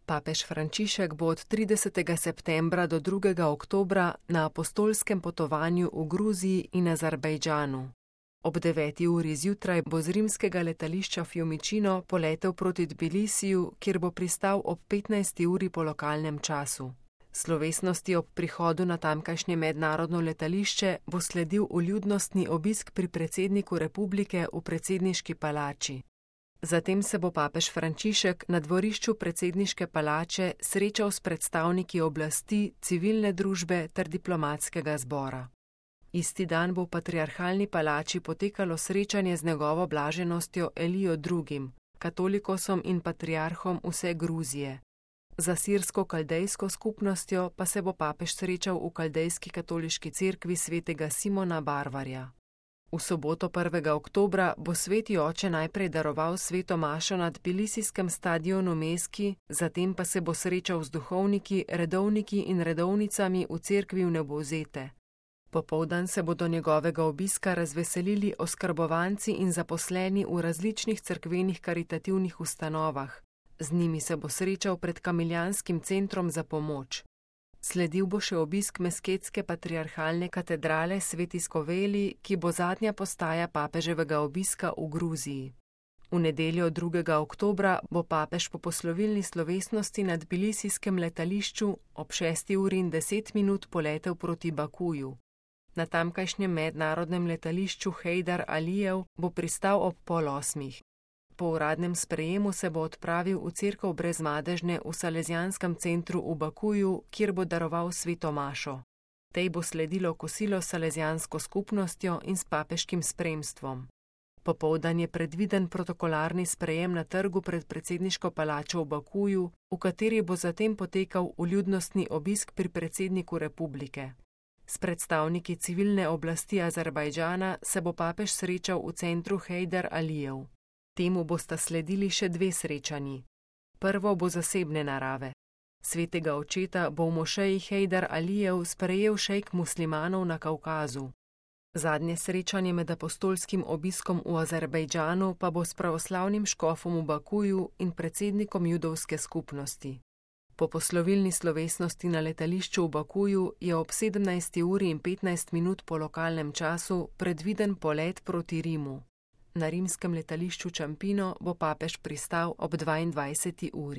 Papež Frančišek bo od 30. septembra do 2. oktobra na apostolskem potovanju v Gruziji in Azerbajdžanu. Ob 9. uri zjutraj bo z rimskega letališča Fiumicino poletel proti Tbilisiju, kjer bo pristal ob 15. uri po lokalnem času. Slovesnosti ob prihodu na tamkajšnje mednarodno letališče bo sledil vljudnostni obisk pri predsedniku republike v predsedniški palači. Zatem se bo papež Frančišek na dvorišču predsedniške palače srečal s predstavniki oblasti, civilne družbe ter diplomatskega zbora. Isti dan bo v patriarhalni palači potekalo srečanje z njegovo blaženostjo Elijo II., katolikosom in patriarhom vse Gruzije. Za sirsko-kaldejsko skupnostjo pa se bo papež srečal v kaldejski katoliški cerkvi svetega Simona Barvarja. V soboto 1. oktobra bo sveti oče najprej daroval sveto mašo na tbilisijskem stadionu Meski, zatem pa se bo srečal z duhovniki, redovniki in redovnicami v cerkvi v Nebozete. Popoldan se bodo njegovega obiska razveselili oskrbovanci in zaposleni v različnih cerkvenih karitativnih ustanovah. Z njimi se bo srečal pred Kamiljanskim centrom za pomoč. Sledil bo še obisk mesketske patriarhalne katedrale Sveti Skoveli, ki bo zadnja postaja papeževega obiska v Gruziji. V nedeljo 2. oktobra bo papež po poslovilni slovesnosti na tbilisijskem letališču ob 6:10 poletel proti Bakuju. Na tamkajšnjem mednarodnem letališču Heydar Alijev bo pristal ob 7:30. Po uradnem sprejemu se bo odpravil v cerkev Brezmadežne v Salezijanskem centru v Bakuju, kjer bo daroval sveto mašo. Tej bo sledilo kosilo s salezijansko skupnostjo in s papeškim spremstvom. Popoldan je predviden protokolarni sprejem na trgu pred predsedniško palačo v Bakuju, v kateri bo zatem potekal vljudnostni obisk pri predsedniku republike. S predstavniki civilne oblasti Azerbajdžana se bo papež srečal v centru Heydar Alijev. Temu bosta sledili še 2 srečanji. Prvo bo zasebne narave. Svetega očeta bo v mošeji Heydar Alijev sprejel šejk muslimanov na Kavkazu. Zadnje srečanje med apostolskim obiskom v Azerbajdžanu pa bo s pravoslavnim škofom v Bakuju in predsednikom judovske skupnosti. Po poslovilni slovesnosti na letališču v Bakuju je ob 17:15 po lokalnem času predviden polet proti Rimu. Na rimskem letališču Čampino bo papež pristal ob 22. uri.